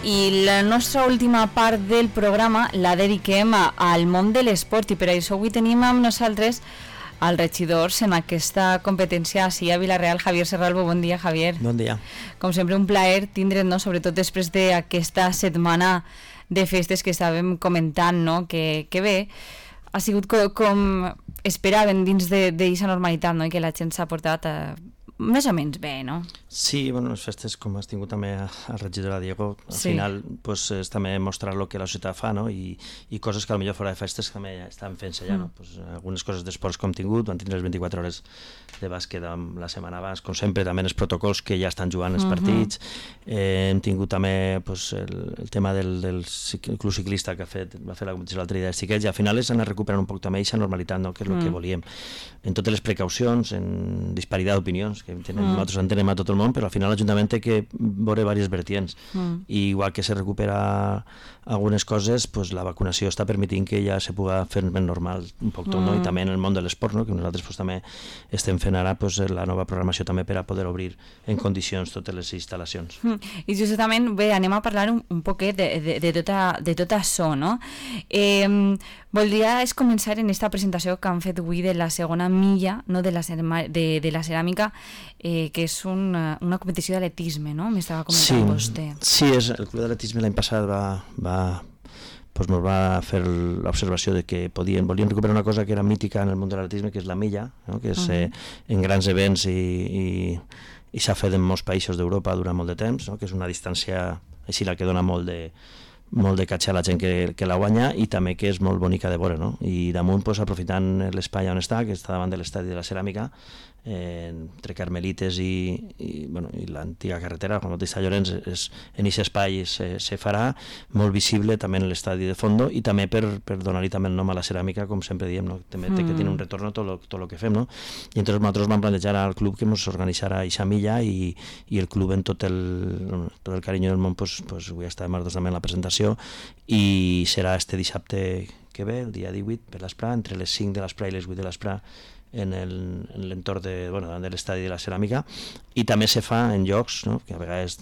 I la nostra última part del programa la dediquem al món de l'esport i per això avui tenim amb nosaltres els regidors en aquesta competència així a Vila-real. Javier Serralbo, bon dia, Javier. Bon dia. Com sempre, un plaer tindre't, no? Sobretot després d'aquesta setmana de festes que estàvem comentant, no? Que bé, ha sigut com esperaven dins d'aquesta normalitat, no? I que la gent s'ha portat més o menys bé, no? Sí, bueno, les festes, com has tingut també al regidor Diego, al final pues, és també mostrar el que la societat fa, no? I coses que potser fora de festes també ja estan fent-se ja, no? Pues, algunes coses d'esports com hem tingut, van tindre les 24 hores de bàsquet la setmana abans, com sempre, també els protocols que ja estan jugant els partits, hem tingut també pues, el tema del club ciclista que va fer la competició l'altre dia de xiquets, i al final és anar recuperant un poc també aquesta normalitat, no? Que és el que volíem, en totes les precaucions, en disparitat d'opinions, que nosaltres entenem a tot el món, però al final l'Ajuntament té que veure diverses vertients, i igual que se recupera algunes coses, pues la vacunació està permetint que ja se pugui fer més normal un poc tot, no? I també en el món de l'esport, no? Que nosaltres pues, també estem fent ara pues, la nova programació també per a poder obrir en condicions totes les instal·lacions. I justament, bé, anem a parlar un poquet de tot això, no? Voldria començar en aquesta presentació que han fet avui de la segona milla, no? de la ceràmica, que és una competició d'atletisme, no? M'estava comentant vostè. Sí, el club d'atletisme l'any passat ens va fer l'observació de que volien recuperar una cosa que era mítica en el món de l'atletisme, que és la milla, no? Que és en grans events i s'ha fet en molts països d'Europa durant molt de temps, no? Que és una distància així la que dona molt de catxar a la gent que la guanya, i també que és molt bonica de veure, no? I damunt, pues, aprofitant l'espai on està, que està davant de l'estadi de la Ceràmica, entre Carmelites i l'antiga carretera, Juan Bautista Llorenç, en aquest espai se farà molt visible també en l'estadi de fondo, i també per donar-li també el nom a la ceràmica, com sempre diem, no? També té que tenir un retorn tot el que fem, no? I entonces nosaltres vam plantejar al club que ens organitzara aquesta milla, i el club en tot el carinyo del món pues avui està nosaltres també en la presentació, i serà este dissabte que ve, el dia 18, per l'Esprà, entre les 5 de l'Esprà i les 8 de l'Esprà, en l'entorn de l'estadi de la ceràmica, i també se fa en llocs, no? Que a vegades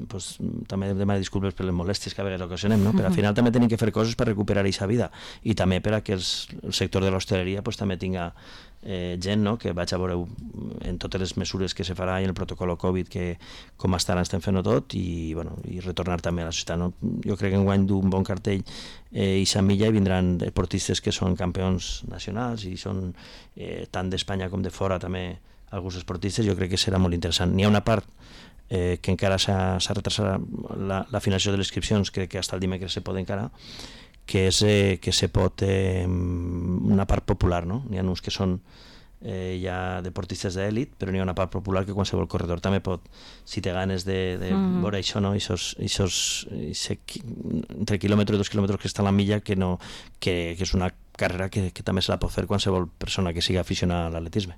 pues, també demano disculpes per les molèsties que a vegades ocasionem, no? Però al final també tenim que fer coses per recuperar aquesta vida, i també per a que el sector de l'hostaleria pues, també tinga gent, no? Que vaig a veure en totes les mesures que se farà i en el protocol Covid, que com hasta ara estem fent-ho tot, i retornar també a la societat, no? Jo crec que enguany d'un bon cartell i Milla, i vindran esportistes que són campions nacionals i són tant d'Espanya com de fora també alguns esportistes. Jo crec que serà molt interessant. N'hi ha una part que encara s'ha retrasat la finalització de les inscripcions, crec que fins el dimecres se pot encara, que és que se pot una part popular, no? N'hi ha uns que són ja deportistes d'èlit, però n'hi ha una part popular que qualsevol corredor també pot, si té ganes de veure això, no? Entre quilòmetres i 2 quilòmetres que està a la milla, que és una carrera que també se la pot fer qualsevol persona que sigui aficionada a l'atletisme.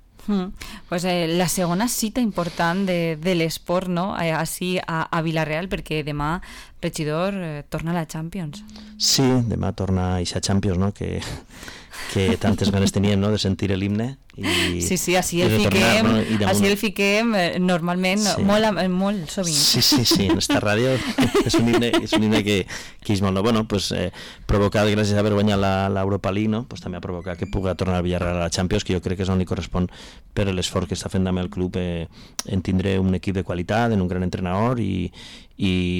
Pues la segona cita important de l'esport, no? Així a Vila-real, perquè demà, regidor, torna a la Champions. Sí, demà torna a aquesta Champions, no? Que tantes ganes teníem, no? De sentir l'himne. Sí, així el fiquem normalment, molt sovint. Sí, en esta ràdio és un himne que és molt no. Bueno, pues provocat gràcies a haver guanyat l'Europa League, no? Pues també ha provocat que pugui tornar al Villarreal a la Champions, que jo crec que és on li correspon per l'esforç que està fent també el club en tindre un equip de qualitat, en un gran entrenador, i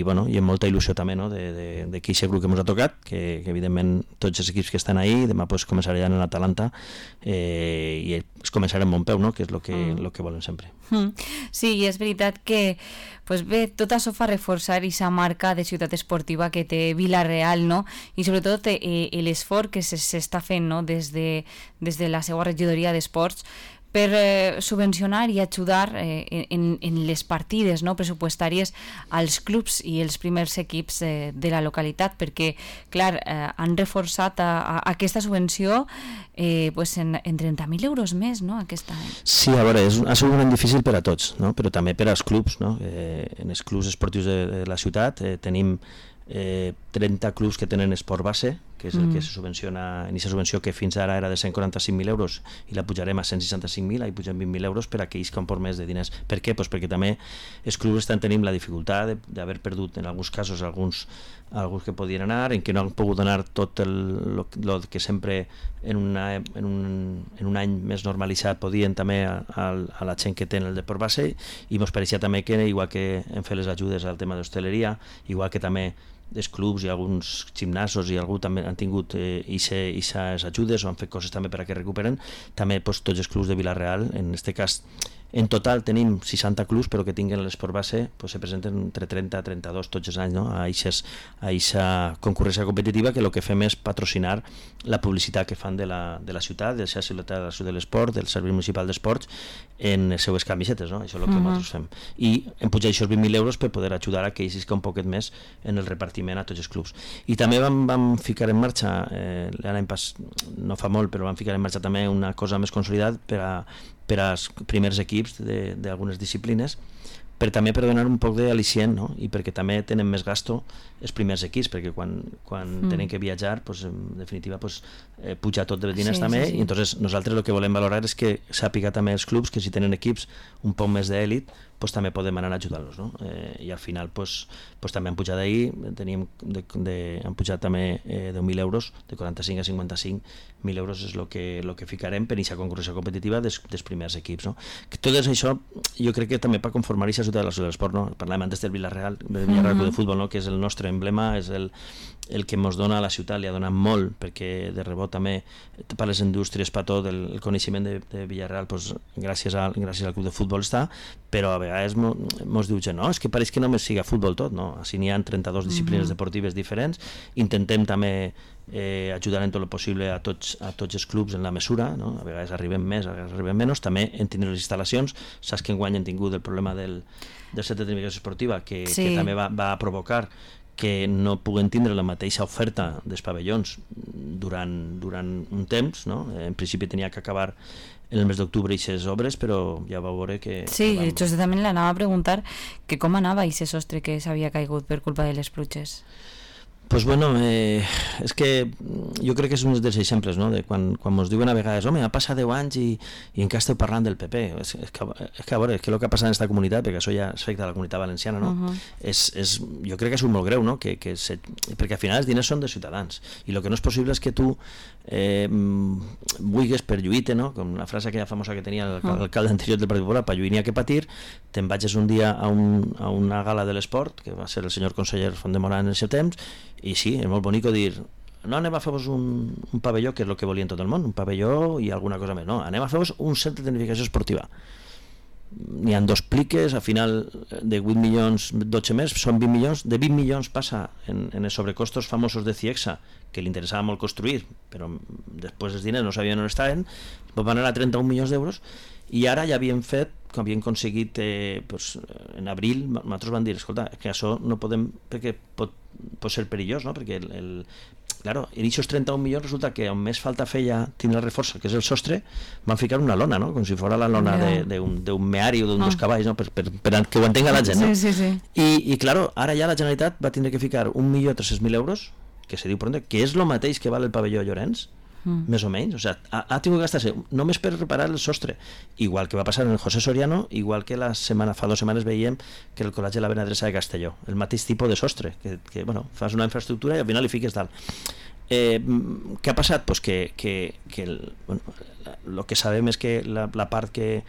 amb molta il·lusió també, no? De que aquest grup que ens ha tocat, que evidentment tots els equips que estan ahí, demà pues, començaran en l'Atalanta, i es començarà en bon peu, no? Que és el que volem sempre. Sí, i és veritat que pues bé, tot això fa reforçar aquesta marca de ciutat esportiva que té Vila-real, no? I sobretot l'esforç que s'està fent, no? des de la seva regidoria d'esports per subvencionar i ajudar en les partides, no? Pressupostàries als clubs i els primers equips de la localitat, perquè, clar, han reforçat aquesta subvenció en 30.000 euros més, no? Aquest any. Sí, a veure, ha sigut un any difícil per a tots, no? Però també per als clubs, no? En els clubs esportius de la ciutat tenim 30 clubs que tenen esport base, que és el que se subvenciona, en aquesta subvenció que fins ara era de 145.000 euros i la pujarem a 165.000, ahí pugen 20.000 euros per a aquells que han por més de diners. Per què? Pues perquè també els clubs estan tenint la dificultat d'haver perdut en alguns casos alguns que podien anar, en què no han pogut anar tot el que sempre en un any més normalitzat podien també a la gent que té el deport base, i ens pareixia també que, igual que hem fet les ajudes al tema d'hostaleria, igual que també els clubs i alguns gimnasos i algú també han tingut aquestes ajudes o han fet coses també per a que recuperen, també tots els clubs de Vila-real, en aquest cas en total tenim 60 clubs, però que tinguen l'esport base se presenten entre 30 i 32 tots els anys, no? a aquesta concurrència competitiva, que el que fem és patrocinar la publicitat que fan de la ciutat, de la ciutat de la ciutat de l'esport, del Servei Municipal d'Esports, en les seues camisetes, no? Això és el que nosaltres fem. I hem pujat aquests 20.000 euros per poder ajudar a que ells que un poquet més en el repartiment a tots els clubs. I també vam ficar en marxa, l'any passat, no fa molt, però vam ficar en marxa també una cosa més consolidada per als primers equips d'algunes disciplines, també per donar un poc d'al·licient, no? I perquè també tenen més gasto els primers equips, perquè quan tenen que viatjar, en definitiva puja tot de diners també, i entonces nosaltres el que volem valorar és que sàpiga també els clubs que si tenen equips un poc més d'èlit, també podem anar a ajudar-los, no? I al final també han pujat ahir, han pujat també 10.000 euros, de 45 a 55.000 euros és el que ficarem per aquesta concurrència competitiva dels primers equips, no? Que tot això jo crec que també per conformar aquesta ciutat de la ciutat de l'esport, no? Parlàvem antes del Vila-real Club de Futbol, no? Que és el nostre emblema, és el que ens dona a la ciutat, li ha donat molt, perquè de rebot també per les indústries, per tot el coneixement de Villarreal, gràcies al club de futbol està, però a vegades ens diu gent, no, és que pareix que només siga futbol tot, no? Així n'hi ha 32 disciplines deportives diferents, intentem també ajudar en tot el possible a tots els clubs en la mesura, no? A vegades arribem més, a vegades arribem menys, també en tenir les instal·lacions. Saps que enguany hem tingut el problema del centre de tecnificació esportiva, que també va provocar que no puguen tindre la mateixa oferta dels pavellons durant un temps, no? En principi tenia que acabar en el mes d'octubre aquestes obres, però ja va veure que... Sí, jo també l'anava a preguntar que com anava aquest sostre que s'havia caigut per culpa de les pluges. Pues bueno, és que jo crec que és un dels exemples, no? De quan ens diuen a vegades, home, ha passat 10 anys i encara esteu parlant del PP. És que a veure, és que el que ha passat en aquesta comunitat, perquè això ja afecta a la comunitat valenciana, no? Jo crec que és molt greu, no? Perquè al final els diners són de ciutadans, i el que no és possible és que tu vulguis per lluir, no? Com la frase aquella famosa que tenia l'alcalde anterior del Partit Popular, per lluir n'hi ha que patir, te'n vagis un dia a una gala de l'esport, que va ser el senyor conseller Fondemorà en el seu temps, i sí, és molt bonic dir, no anem a fer-vos un pavelló, que és el que volien tot el món, un pavelló i alguna cosa més, no, anem a fer-vos un centre de tecnificació esportiva. N'hi ha 2 pliques, al final de 8 milions, 12 més, són 20 milions, de 20 milions passa en els sobrecostos famosos de Ciexsa, que li interessava molt construir, però després els diners no sabien on estaven, van anar a 31 milions d'euros, i ara ja havien fet, que havien aconseguit en abril, nosaltres van dir, escolta, que això no podem, perquè pot ser perillós, no? Perquè claro, en aquests 31 milions resulta que on més falta feia tindre la reforça, que és el sostre, van ficar una lona, no? Com si fos la lona d'un meari o d'un dos cavalls, no? Per que ho entenga la gent, no? Sí. I claro, ara ja la Generalitat va tindre que ficar 1.300.000 euros, que se diu pronto, que és el mateix que val el pavelló Llorenç, més o menys, o sea, ha tingut que gastar-se només per reparar el sostre, igual que va passar en el José Soriano, igual que fa 2 setmanes veiem que el col·legi de la Benedresa de Castelló, el mateix tipus de sostre, que bueno, fas una infraestructura i al final li fiques dalt. Què ha passat? Pues que el que sabem és que la part que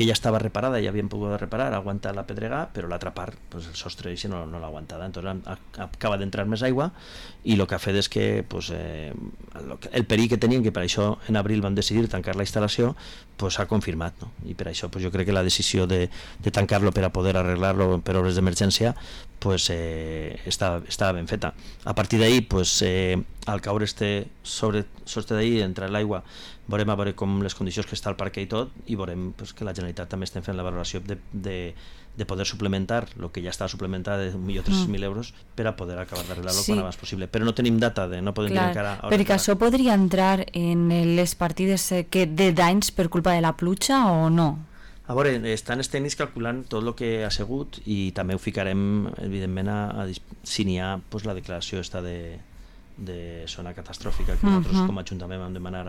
ja estava reparada, ja havien pogut reparar, ha aguantat la pedrega, però l'altra part, pues el sostre no l'ha aguantada, entonces acaba d'entrar més aigua, i el que ha fet és que el perill que tenien, que per això en abril van decidir tancar la instal·lació, s'ha confirmat, no? I per això jo crec que la decisió de tancar-lo per a poder arreglar-lo per obres d'emergència estava ben feta. A partir d'ahir, al caure sostre d'ahir, entrar l'aigua, veurem a veure com les condicions que està el parquet i tot, i veurem que la Generalitat també estem fent la valoració de poder suplementar el que ja està suplementat de 1.300.000 euros per a poder acabar d'arreglar-lo quan abans possible. Però no tenim data, no podem dir encara... Perquè això podria entrar en les partides de danys per culpa de la pluja o no? A veure, estan els tècnics calculant tot el que ha sigut i també ho ficarem, evidentment, si n'hi ha pues, la declaració esta de zona catastròfica que nosaltres com a Ajuntament vam demanar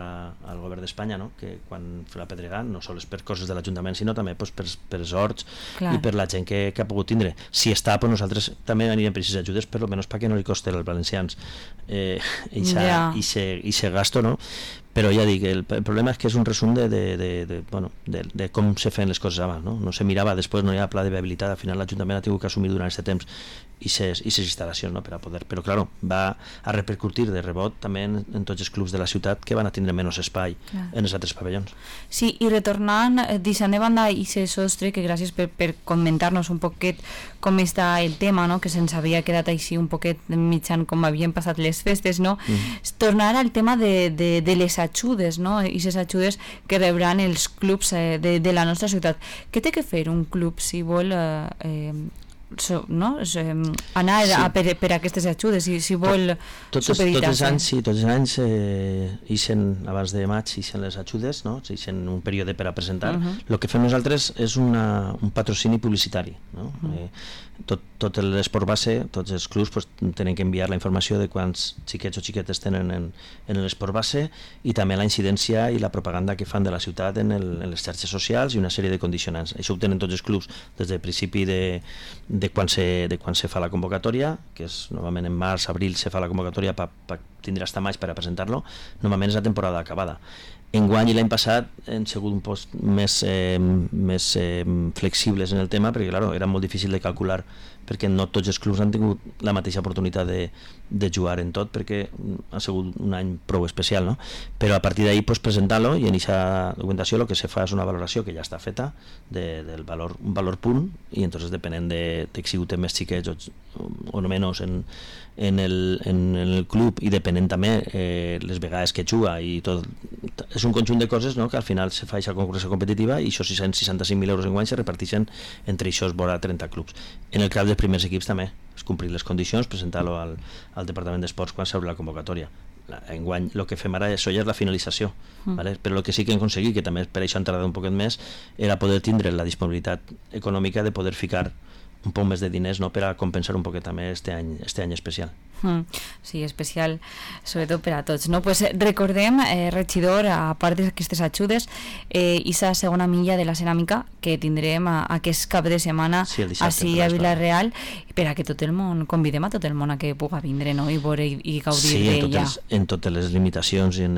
al govern d'Espanya, no? Que quan fa la pedregada no sols per coses de l'Ajuntament sinó també pues, per els horts i per la gent que ha pogut tindre. Si està, pues, nosaltres també anirem per aquestes ajudes, per almenys perquè no li costi als valencians i gasto, no? Però ja dic, el problema és que és un resum de com se feien les coses abans, no se mirava, després no hi ha pla de viabilitat, al final l'Ajuntament ha tingut que assumir durant aquest temps i ses instal·lacions, no? Per a poder, però claro, va a repercutir de rebot també en tots els clubs de la ciutat que van a tindre menys espai en els altres pavellons. Sí, i retornant, deixant de banda aquest sostre, que gràcies per comentar-nos un poquet com està el tema, no? Que se'ns havia quedat així un poquet mitjan com havien passat les festes, no? Tornar al tema de les ajudes, no? I les ajudes que rebran els clubs de la nostra ciutat. Què té que fer un club si vol anar per aquestes ajudes, si vol supeditar-se? Tots els anys ixen, abans de maig ixen les ajudes, no? Ixen un període per a presentar. El que fem nosaltres és un patrocini publicitari, no? Tot l'esport base, tots els clubs pues, tenen que enviar la informació de quants xiquets o xiquetes tenen en l'esport base i també la incidència i la propaganda que fan de la ciutat en les xarxes socials i una sèrie de condicionants. Això ho tenen tots els clubs des del principi de quan se fa la convocatòria, que és normalment en març, abril se fa la convocatòria per tindre hasta maig per a presentar-lo, normalment és la temporada acabada. Enguany i l'any passat hem sigut un poc més flexibles en el tema perquè claro, era molt difícil de calcular perquè no tots els clubs han tingut la mateixa oportunitat de jugar en tot perquè ha sigut un any prou especial, no? Però a partir d'ahí pues, presentar-lo i en aquesta documentació el que se fa és una valoració que ja està feta del valor, un valor punt i entonces depenent de si ho té més xiquets o no menys en el club i depenent també les vegades que juga i tot, és un conjunt de coses, no? Que al final se fa aquesta concurrència competitiva i això 665.000 euros en guany se reparteixen entre això vora 30 clubs. En el cas dels primers equips també és complir les condicions, presentar-lo al Departament d'Esports quan s'obre la convocatòria. Enguany el que fem ara això ja és la finalització, ¿vale? Però el que sí que hem aconseguit, que també per això han tardat un poquet més, era poder tindre la disponibilitat econòmica de poder ficar un poc més de diners, no? Per a compensar un poquet també este any especial. Sí, especial sobretot per a tots, no? Pues recordem, regidor, a part d'aquestes ajudes, aquesta segona milla de la ceràmica que tindrem aquest cap de setmana així a Vila-real, per a que tot el món, convidem a tot el món a que puga vindre, no? I veure i gaudir d'ella. Sí, en totes les limitacions i en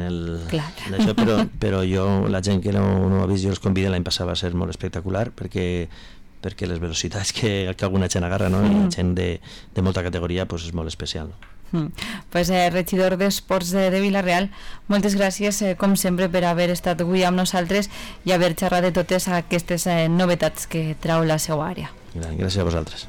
d'això, però jo, la gent que no ho ha vist, jo els convido, l'any passat va ser molt espectacular perquè les velocitats que alguna gent agarra, no? I gent de molta categoria pues és molt especial, no? Pues regidor d'Esports de Vila-real, moltes gràcies com sempre per haver estat avui amb nosaltres i haver xerrat de totes aquestes novetats que trau la seva àrea. Gràcies a vosaltres.